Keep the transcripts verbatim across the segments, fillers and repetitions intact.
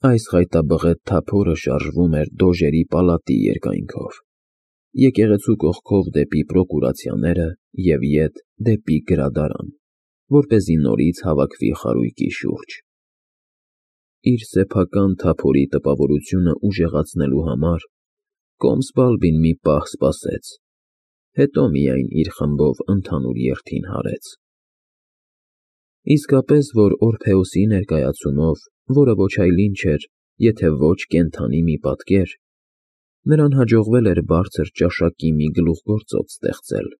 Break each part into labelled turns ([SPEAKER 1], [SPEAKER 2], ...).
[SPEAKER 1] Այս խայտաբղետ թափորը շարժվում էր Դոժերի պալատի երկայնքով, եկեղեցու կողքով դեպի պրոկուրացիաները և ետ դեպի գրադարան, որպեսզի նորից հավաքվի խարույկի շուրջ։ Իր սեփական թափորի տպավորությունը ուժեղացնելու համար Կոմսբալբին մի պահ սպասեց, հետո միայն իր խմբով ընդհանուր երթին հարեց։ Իսկապես, որ Օրփեոսի ներկայացումով, որը ոչ այլ ինչ էր, եթե ոչ կենդանի մի պատկեր, նրան հաջողվել էր բարձր ճաշակի մի գլուխգործոց ստեղծել։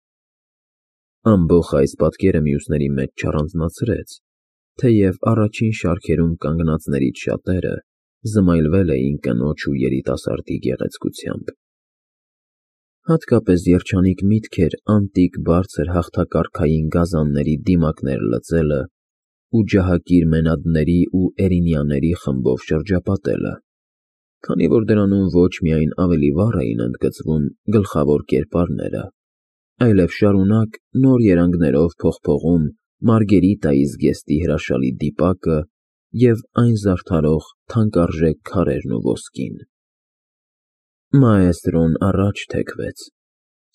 [SPEAKER 1] Ամբոխ այս պատկերը մյուսների մեջ չառանձնացրեց, թեև առաջին շարքերում կանգնածներից շատերը զմայլվել էին կնոջ ու երիտասարդի գեղեցկությամբ։ Հատկապես երջանիկ միտք էր անտիկ բարձր հաղթակարգային գազանների դիմակներ լծելը ու ջահակիր մենադների ու էրինյաների խմբով շրջապատելը, քանի որ դրանում ոչ միայն ավելի վառ էին ընդգծվում գլխավոր կերպարները, այլև շարունակ նոր երանգներով փողփողում Մարգերիտայի զգեստի հրաշալի դիպակը և այն զարդարող թանկարժեք քարերն ու ոսկին։ Մաեստրոն առաջ թեքվեց,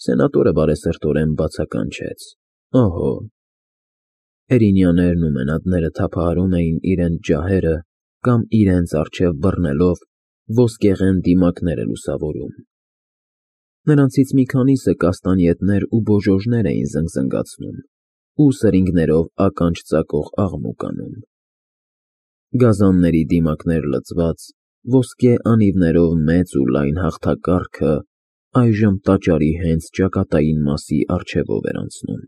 [SPEAKER 1] սենատորը բարեսրտորեն բացականչեց. «Օհո»։ Էրինյաներն ու մենադները թափահարում էին իրենց ջահերը կամ իրենց առջև բռնելով ոսկեղեն դիմակները լուսավորում։ Նրանցից մի քանիսը կաստանյետներ ու բոժոժներ էին զնգզնգացնում ու սրինգներով ականջ ծակող աղմուկ անում։ Գազանների դիմակներ լցված, ոսկե անիվներով մեծ ու լայն հաղթակարգը այժմ տաճարի հենց ճակատային մասի առջևով էր անցնում։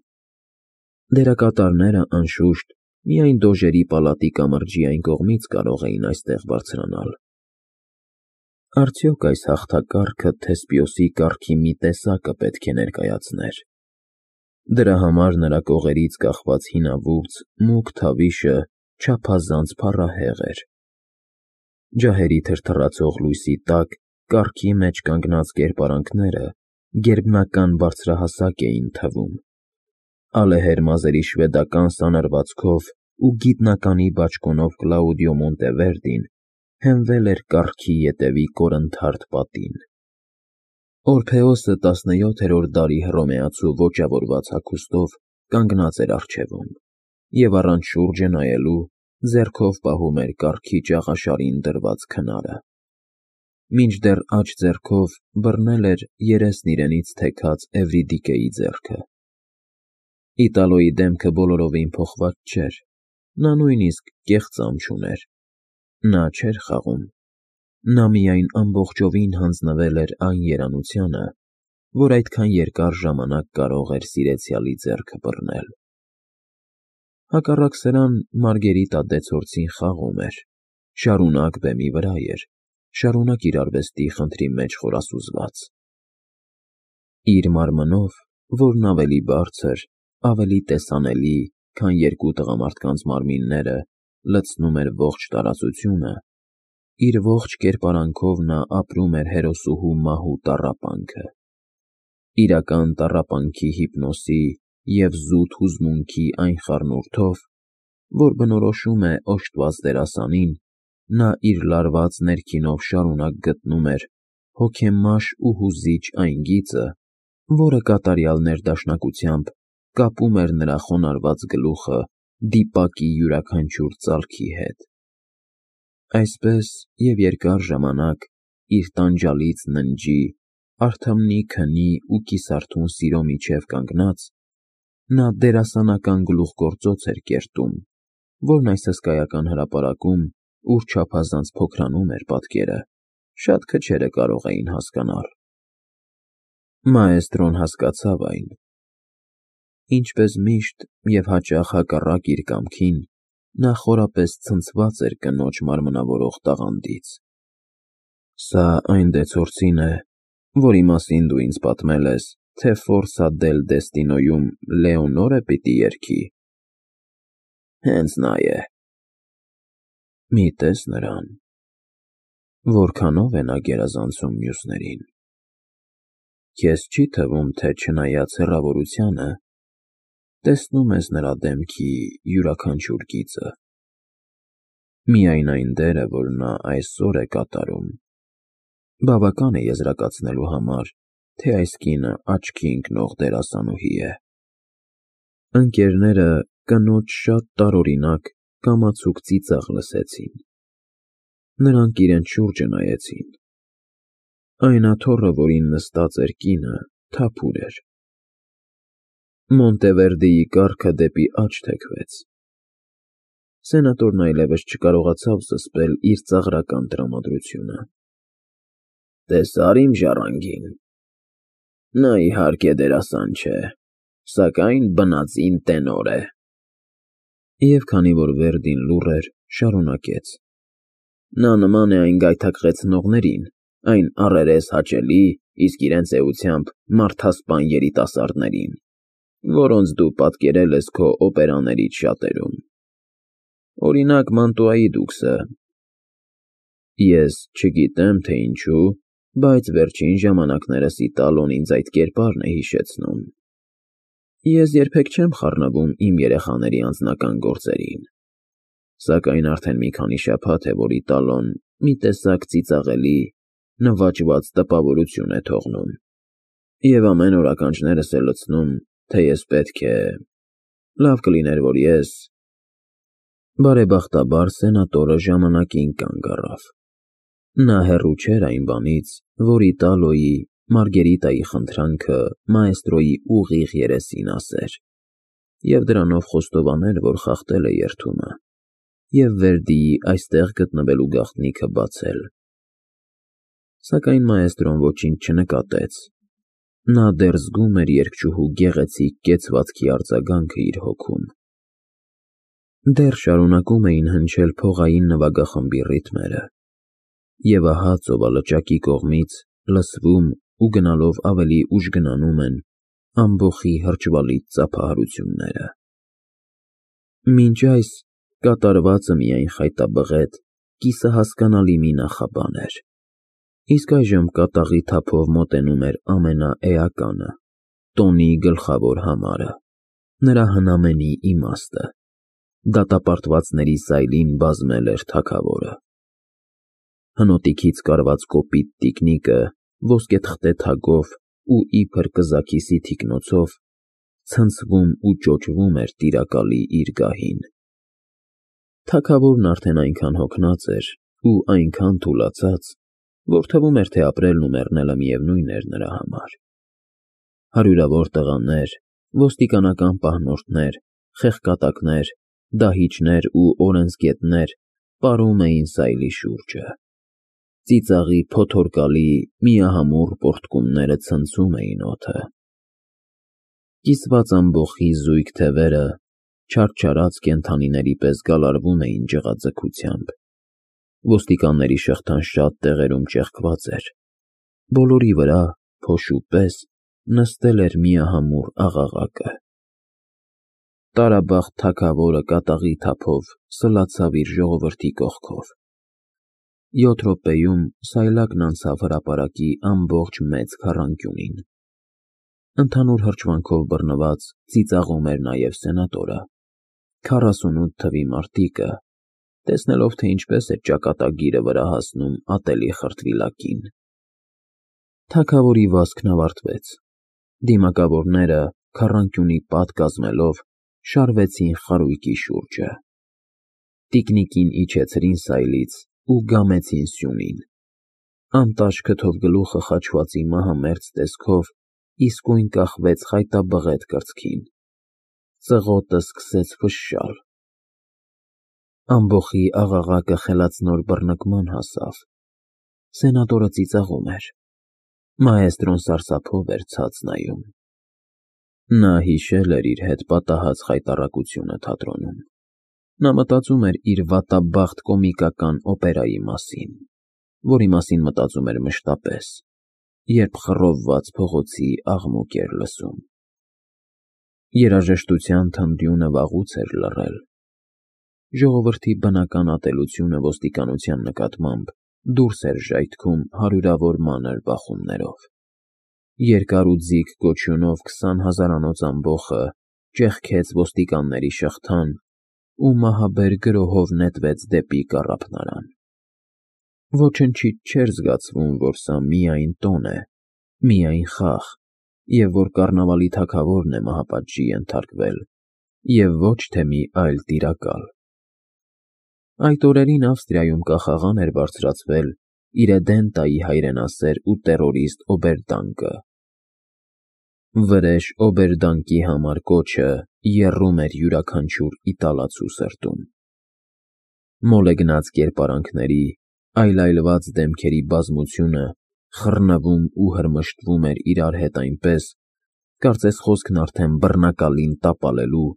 [SPEAKER 1] Դերակատարները, անշուշտ, միայն Դոժերի պալատի կամրջի այն կողմից կարող էին այստեղ բարձրանալ։ Արդյոք այս հաղթակարգը Թեսպիոսի կառքի մի տեսակը պետք է ներկայացներ։ Դրա համար նրա կողերից կախված հինավուրց, մուգ թավիշը չափազանց փառահեղ էր։ Ջահերի թրթռացող լույսի տակ կառքի մեջ կանգնած կերպարանքները գերբնական բարձրահասակ էին թվում։ Ալեհեր մազերի շվեդական սանրվածքով ու գիտնականի բաճկոնով Կլաուդիո Մոնտևերդին հենվել էր կառքի ետևի կորնթարդ պատին։ Օրփեոսը տասնյոթերորդ դարի հռոմեացու ոճավորված հագուստով կանգնած էր առջևում և առանց շուրջը նայելու ձեռքով պահում էր կառքի ճաղաշարին դրված քնարը, մինչդեռ աջ ձեռքով բռնել էր երեսն իրենից թեքած Էվրիդիկեի ձեռքը։ Իտալոյի դեմքը բոլորովին փոխված չէր, նա նույնիսկ կեղծամ չուներ։ Նա չէր խաղում, նա միայն ամբողջովին հանձնվել էր այն երանությանը, որ այդքան երկար ժամանակ կարող էր սիրեցյալի ձեռքը բռնել։ Հակառակ սրան, Մարգերիտա դեցորցին խաղում էր, շարունակ բեմի վրա էր, շարունակ իր արվեստի խնդրի մեջ խորասուզված։ Իր մարմնով, որն ավելի բարձր, ավելի տեսանելի, քան երկու տղամարդկանց մարմինները, լցնում էր ողջ տարածությունը, իր ողջ կերպարանքով նա ապրում էր հերոսուհու մահու տառապանքը։ Իրական տառապանքի հիպնոսի և զուտ հուզմունքի այն խառնուրդով, որ բնորոշում է օժտված դերասանին, նա իր լարված ներքինով շարունակ գտնում էր հոգեմաշ ու հուզիչ այն գիծը, որը կատարյալ ներդաշնակությամբ կապում էր նրա խոնարհված գլուխը դիպակի յուրաքանչյուր ծալքի հետ։ Այսպես և երկար ժամանակ, իր տանջալից ննջի, արթմնի քնի ու կիսարթուն սիրո միջև կանգնած, նա դերասանական գլուխգործոց էր կերտում, որն այս հսկայական հրապարակում, ուր չափազանց փոքրանում էր պատկերը, շատ քչերը կարող էին հասկանալ։ Մաեստրոն հասկացավ այն։ Ինչպես միշտ և հաճախ հակառակ իր կամքին, նա խորապես ցնցված էր կնոջ մարմնավորող տաղանդից։ Սա այն դեցորցի՞ն է, որի մասին դու ինձ պատմել ես, թե Ֆորսա դել Դեստինոյում Լեոնորը պիտի երգի։ Հենց նա է։ Մի տես նրան, որքանո՞վ է նա գերազանցում մյուսներին։ Քեզ չի՞ թվում, թե չնայած հեռավորությանը, տեսնում ես նրա դեմքի յուրաքանչյուր գիծը։ Միայն այն դերը, որ նա այսօր է կատարում, բավական է եզրակացնելու համար, թե այս կինը աչքի ընկնող դերասանուհի է։ Ընկերները կնոջ շատ տարօրինակ, կամացուկ ծիծաղ լսեցին։ Նրանք իրենց շուրջը նայեցին։ Այն աթոռը, որին նստած էր կինը, թափուր էր։ Մոնտևերդիի կառքը դեպի աջ թեքվեց։ Սենատորն այլևս չկարողացավ զսպել իր ծաղրական տրամադրությունը։ «Տեսա՞ր իմ ժառանգին։ Նա, իհարկե, դերասան չէ, սակայն բնածին տենոր է»։ Եվ քանի որ Վերդին լուռ էր, շարունակեց. «Նա նման է այն գայթակղեցնողներին, այն առերես հաճելի, իսկ իրենց էությամբ մարդասպան երիտասարդներին, որոնց դու պատկերել ես քո օպերաներից շատերում։ Օրինակ Մանտուայի դուքսը։ Ես չգիտեմ, թե ինչու, բայց վերջին ժամանակներս Իտալոն ինձ այդ կերպարն է հիշեցնում։ Ես երբեք չեմ խառնվում իմ երեխաների անձնական գործերին, սակայն արդեն մի քանի շաբաթ է, որ Իտալոն մի տեսակ ծիծաղելի, նվաճված տպավորություն է թողնում, և ամեն օր ականջներս է լցնում, թե ես պետք է… Լավ կլիներ, որ ես… Բարեբախտաբար սենատորը ժամանակին կանգ առավ։ Նա հեռու չէր այն բանից, որ Իտալոյի, Մարգերիտայի խնդրանքը մաեստրոյի ուղիղ երեսին ասեր, և դրանով խոստովաներ, որ խախտել է երդումը, և Վերդիի այստեղ գտնվելու գաղտնիքը բացել։ Սակայն մաեստրոն ոչինչ չնկատեց։ Նա դեռ զգում էր երգչուհու գեղեցիկ կեցվածքի արձագանքը իր հոգում։ Դեռ շարունակում էին հնչել փողային նվագախմբի ռիթմերը, և ահա ծովալճակի կողմից լսվում ու գնալով ավելի ուժգնանում են ամբոխի հրճվալից ծափահարությունները։ Մինչ այս կատարվածը միայն խայտաբղետ, կիսահասկանալի մի նախաբան էր, իսկ այժմ կատաղի թափով մոտենում էր ամենաէականը, տոնի գլխավոր համարը, նրա հնամենի իմաստը։ Դատապարտվածների սայլին բազմել էր թագավորը։ Հնոտիքից կարված կոպիտ տիկնիկը ոսկեթղթե թագով ու իբր կզաքիսի թիկնոցով ցնցվում ու ճոճվում էր տիրակալի իր գահին։ Թագավորն արդեն այնքան հոգնած էր ու այնքան թուլացած, որ թվում էր, թե ապրելն ու մեռնելը միևնույն էր նրա համար։ Հարյուրավոր տղաներ, ոստիկանական պահնորդներ, խեղկատակներ, դահիճներ ու օրենսգետներ պարում էին սայլի շուրջը։ Ծիծաղի փոթորկալի, միահամուռ պոռթկումները ցնցում էին օդը։ Կիսված ամբոխի զույգ թևերը չարչարած կենդանիների պես գալարվում էին ջղաձգությամբ։ Ոստիկանների շղթան շատ տեղերում ճեղքված էր։ Բոլորի վրա, փոշու պես, նստել էր միահամուռ աղաղակը։ Տարաբախտ թագավորը կատաղի թափով սլացավ իր ժողովրդի կողքով։ Յոթ րոպեում սայլակն անցավ հրապարակի ամբողջ մեծ քառանկյունին։ Ընդհանուր հրճվանքով բռնված ծիծաղում էր նաև սենատորը, քառասունութ թվի մարտիկը, տեսնելով, թե ինչպես է ճակատագիրը վրա հասնում ատելի խրտվիլակին։ Թագավորի վազքն ավարտվեց։ Դիմակավորները, քառանկյունի պատ կազմելով, շարվեցին խարույկի շուրջը։ Տիկնիկին իջեցրին սայլից ու գամեցին սյունին։ Անտաշ քթով գլուխը խաչվածի մահամերձ տեսքով իսկույն կախվեց խայտաբղետ կրծքին։ Ծղոտը սկսեց ֆշշալ։ Ամբոխի աղաղակը խելացնոր բռնկման հասավ։ Սենատորը ծիծաղում էր։ Մաեստրոն սարսափով էր ցած նայում։ Նա հիշել էր իր հետ պատահած խայտառակությունը թատրոնում։ Նա մտածում էր իր վատաբախտ կոմիկական օպերայի մասին, որի մասին մտածում էր մշտապես, երբ խռովված փողոցի աղմուկ էր լսում։ Երաժշտության թնդյունը վաղուց էր լռել։ Ժողովրդի բնական ատելությունը ոստիկանության նկատմամբ դուրս էր ժայթքում հարյուրավոր մանր բախումներով։ Երկար ու ձիգ կոչյունով քսան հազարանոց ամբոխը ճեղքեց ոստիկանների շղթան ու մահաբեր գրոհով նետվեց դեպի կառափնարան։ Ոչնչից չէր զգացվում, որ սա միայն տոն է, միայն խաղ, և որ կառնավալի թագավորն է մահապատժի ենթարկվել, և ոչ թե մի այլ տիրակալ։ Այդ օրերին Ավստրիայում կախաղան էր բարձրացվել Իրեդենտայի հայրենասեր ու տերորիստ Օբերդանկը։ Վրեժ Օբերդանկի համար կոչը եռում էր յուրաքանչյուր իտալացու սրտում։ Մոլեգնած կերպարանքների, այլայլված դեմքերի բազմությունը խռնվում ու հրմշտվում էր իրար հետ այնպես, կարծես խոսքն արդեն բռնակալին տապալելու,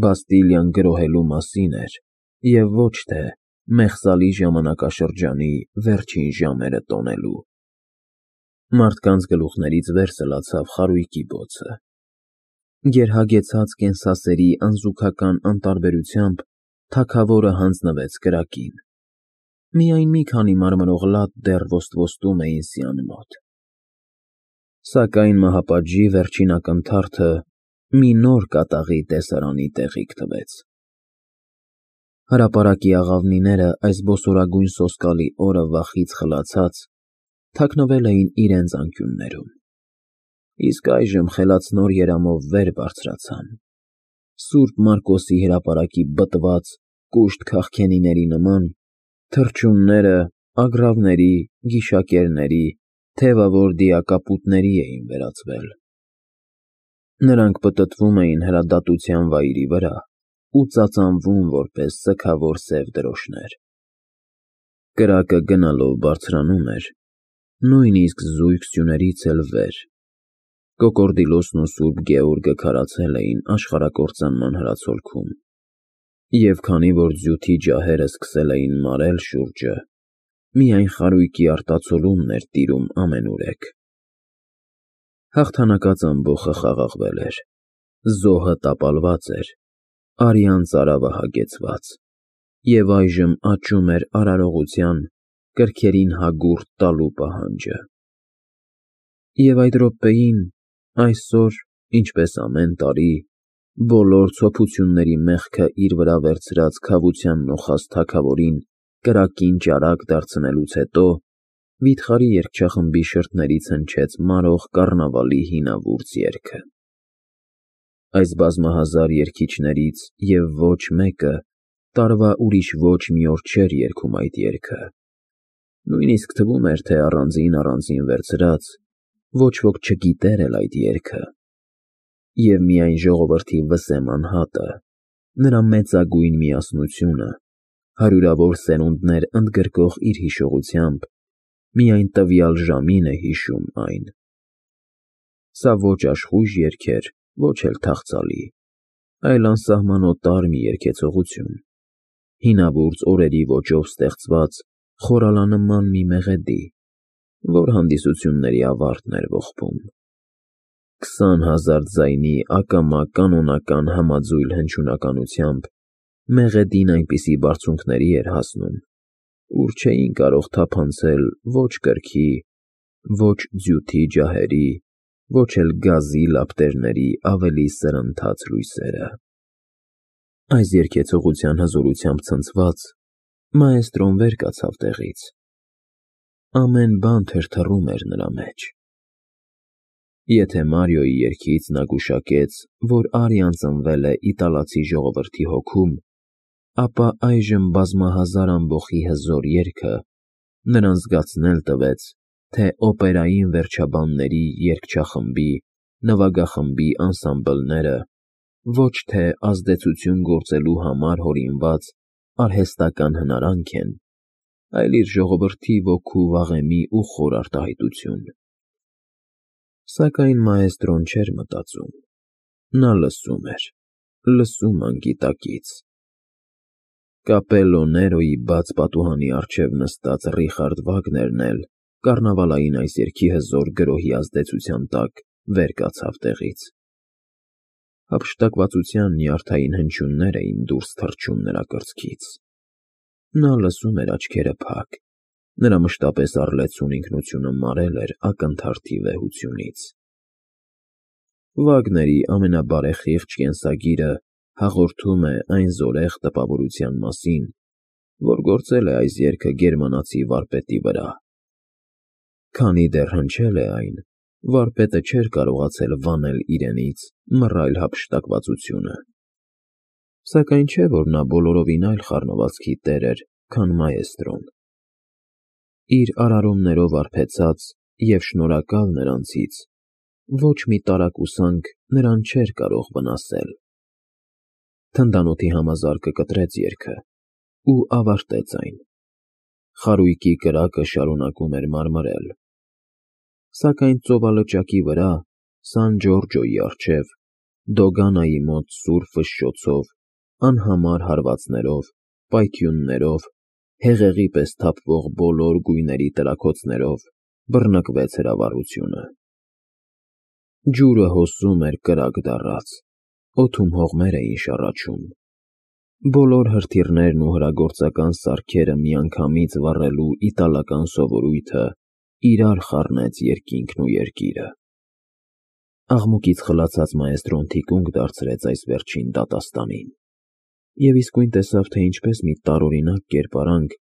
[SPEAKER 1] Բաստիլիան գրոհելու մասին էր, և ոչ թե մեղսալի ժամանակաշրջանի վերջին ժամերը տոնելու։ Մարդկանց գլուխներից վեր սլացավ խարույկի բոցը։ Գերհագեցած կենսասերի անզուգական անտարբերությամբ թագավորը հանձնվեց կրակին։ Միայն մի քանի մարմնող լատ դեռ ոստվոստում էին սյան մոտ։ Սակայն մահապատժի վերջին ակնթարթը մի նոր կատաղի տեսարանի տեղիք տվեց։ Հրապարակի աղավնիները այս բոսորագույն սոսկալի օրը վախից խլացած թաքնվել էին իրենց անկյուններում, իսկ այժմ խելացնոր երամով վեր բարձրացան, Սուրբ Մարկոսի հրապարակի բտված, կուշտ քաղքենիների նման, թռչունները ագռավների, գիշակերների, թևավոր դիակապուտների էին վերածվել։ Նրանք պտտվում էին հրադադության վայրի վրա ու ծածանվում որպես սգավոր սև դրոշներ։ Կրակը գնալով բարձրանում էր, նույնիսկ զույգ սյուներից էլ վեր։ Կոկորդիլոսն ու Սուրբ Գեորգը քարացել էին աշխարհակործանման հրացոլքում, և քանի որ ձյութի ջահերը սկսել էին մարել շուրջը, միայն խարույկի արտացոլումն էր տիրում ամենուրեք։ Հաղթանակած ամբոխը խաղաղվել էր, զոհը տապալված էր, արյան ծարավը հագեցված, և այժմ աճում էր արարողության, կրքերին հագուրդ տալու պահանջը։ Եվ այդ րոպեին, այսօր, ինչպես ամեն տարի, բոլոր ցոփությունների մեղքը իր վրա վերցրած քավության նոխազ թագավորին կրակին ճարակ դարձնելուց հետո, վիթխարի երգչախմբի շրթներից հնչեց մարող կառնավալի հինավուրց երգը։ Այս բազմահազար երգիչներից և ոչ մեկը տարվա ուրիշ ոչ մի օր չէր երգում այդ երգը, նույնիսկ թվում էր, թե առանձին֊առանձին վերցրած, ոչ ոք չգիտեր էլ այդ երգը, և միայն ժողովրդի վսեմ անհատը, նրա մեծագույն միասնությունը, հարյուրավոր սերունդներ ընդգրկող իր հիշողությամբ, միայն տվյալ ժամին է հիշում այն։ Սա ոչ աշխույժ երգ էր, ոչ էլ թախծալի, այլ անսահմանոտար մի երգեցողություն, հինավուրց օրերի ոճով ստեղծված խորալանման մի մեղեդի, որ հանդիսությունների ավարտն էր ողբում։ Քսան հազար ձայնի ակամա կանոնական համաձույլ հնչյունականությամբ մեղեդին այնպիսի բարձունքների էր հասնում, ուր չէին կարող թափանցել ոչ կրքի, ոչ ձյութի ջահերի, ոչ էլ գազի լապտերների ավելի սրընթաց լույսերը։ Այս երգեցողության հզորությամբ ցնցված, մաեստրոն վեր կացավ տեղից։ Ամեն բան թրթռում էր նրա մեջ։ Եթե Մարիոյի երգից նա գուշակեց, որ արիան ծնվել է իտալացի ժողովրդի հոգում, ապա այժմ բազմահազար ամբոխի հզոր երգը նրան զգացնել տվեց, թե օպերային վերջաբանների երգչախմբի, նվագախմբի անսամբլները ոչ թե ազդեցություն գործելու համար հորինված արհեստական հնարանք են, այլ իր ժողովրդի ոգու վաղեմի ու խոր արտահայտություն։ Սակայն մաեստրոն չէր մտածում, նա լսում էր, լսում անգիտակից։ Կապելլո Ներոյի բաց պատուհանի առջև նստած Ռիխարդ Վագներն էլ կառնավալային այս երգի հզոր գրոհի ազդեցության տակ վեր կացավ տեղից։ Հափշտակվածության նյարդային հնչյուններ էին դուրս թռչում նրա կրծքից։ Նա լսում էր աչքերը փակ, նրա մշտապես առլեցուն ինքնությունը մարել էր ակնթարթի վեհությունից։ Վագների ամենաբարեխիղճ կենսագիրը հաղորդում է այն զորեղ տպավորության մասին, որ գործել է այս երգը գերմանացի վարպետի վրա։ Քանի դեռ հնչել է այն, վարպետը չէր կարողացել վանել իրենից մռայլ հափշտակվածությունը։ Սակայն չէ, որ նա բոլորովին այլ խառնվածքի տեր էր, քան մաեստրոն։ Իր արարումներով արբեցած և շնորհակալ նրանցից, ոչ մի տարակուսանք նրան չէր կարող վնասել։ Թնդանոթի համազարկը կտրեց երգը ու ավարտեց այն։ Խարույկի կրակը շարունակում էր մարմրել։ Սակայն ծովալճակի վրա, Սան Ջորջոյի առջև, Դոգանայի մոտ սուր ֆշշոցով, անհամար հարվածներով, պայթյուններով, հեղեղի պես թափվող բոլոր գույների տրաքոցներով բռնկվեց հրավառությունը։ Ջուրը հոսում էր կրակ դառած, օդում հողմեր էին շառաչում։ Բոլոր հրթիռներն ու հրագործական սարքերը միանգամից վառելու իտալական սովորույթը իրար խառնեց երկինքն ու երկիրը։ Աղմուկից խլացած մաեստրոն թիկունք դարձրեց այս վերջին դատաստանին և իսկույն տեսավ, թե ինչպես մի տարօրինակ կերպարանք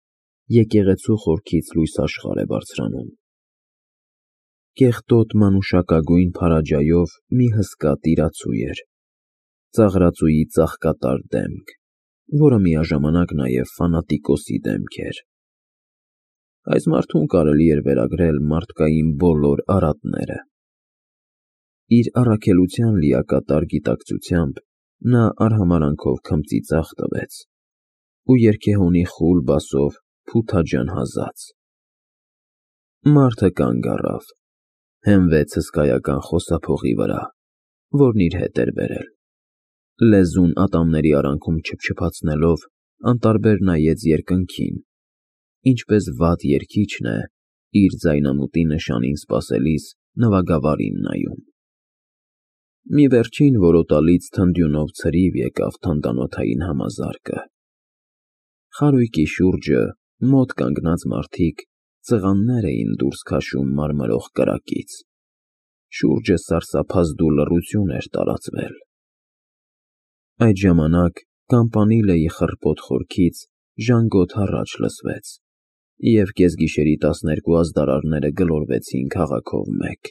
[SPEAKER 1] եկեղեցու խորքից լույս աշխարհ է բարձրանում։ Կեղտոտ մանուշակագույն փարաջայով մի հսկա տիրացու էր, ծաղրածուի ծաղկատար դեմք, որը միաժամանակ նաև ֆանատիկոսի դեմք էր։ Այս մարդուն կարելի էր վերագրել մարդկային բոլոր արատները։ Իր առաքելության լիակատար գիտակցությամբ նա արհամարհանքով քմծի ձախ տվեց ու երգեհոնի խուլ բասով փութաջան հազաց։ Մարդը կանգ առավ, հենվեց հսկայական խոսափողի վրա, որն իր հետ էր բերել, լեզուն ատամների արանքում չփչփացնելով, անտարբեր նայեց երկնքին, ինչպես վատ երգիչն է իր ձայնամուտի նշանին սպասելիս նվագավարին նայում։ Մի վերջին որոտալից թնդյունով ցրիվ եկավ թնդանոթային համազարկը։ Խարույկի շուրջը մոտ կանգնած մարդիկ ծղաններ էին դուրս քաշում մարմրող կրակից։ Շուրջը սարսափազդու լռություն էր տարածվել։ Այդ ժամանակ կամպանիլեի խռպոտ խորքից ժանգոտ հառաչ լսվեց, և կեսգիշերի տասներկու ազդարարները գլորվեցին քաղաքով մեկ։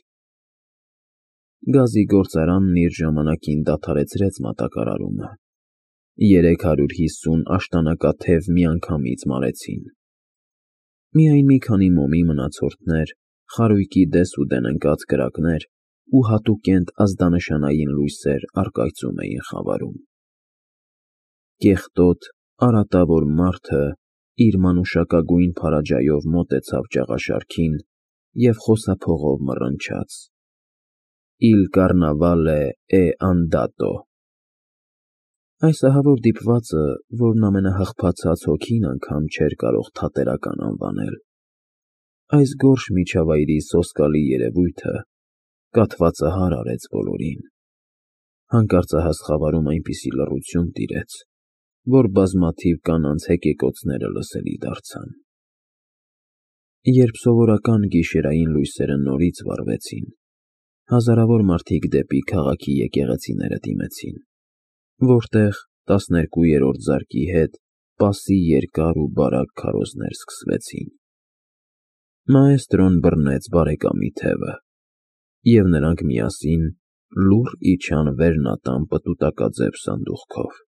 [SPEAKER 1] Գազի գործարանն իր ժամանակին դադարեցրեց մատակարարումը։ Երեք հարյուր հիսուն աշտանակաթև միանգամից մարեցին։ Միայն մի քանի մոմի մնացորդներ, խարույկի դեսուդեն ընկած կրակներ ու հատուկենտ ազդանշանային լույսեր առկայծում էին խավարում։ Կեղտոտ, արատավոր մարդը իր մանուշակագույն փարաջայով մոտեցավ ճաղաշարքին և խոսափողով մռնչաց. «Իլ կարնավալե է անդատո»։ Այս ահավոր դիպվածը, որն ամենահղփացած հոգին անգամ չէր կարող թատերական անվանել, այս գորշ միջավայրի սոսկալի երևույթը կաթվածահար արեց բոլորին։ Հանկարծահաս խավարում այնպիսի լռություն տիրեց, որ բազմաթիվ կանանց հեկեկոցները լսելի դարձան։ Երբ սովորական գիշերային լույսերը նորից վառվեցին, հազարավոր մարդիկ դեպի քաղաքի եկեղեցիները դիմեցին, որտեղ տասներկուերորդ զարկի հետ պասի երկար ու բարակ քարոզներ սկսվեցին։ Մաեստրոն բռնեց բարեկամի թևը, և նրանք միասին լուռ իջան վերնատան պտուտակաձև սանդուղքով։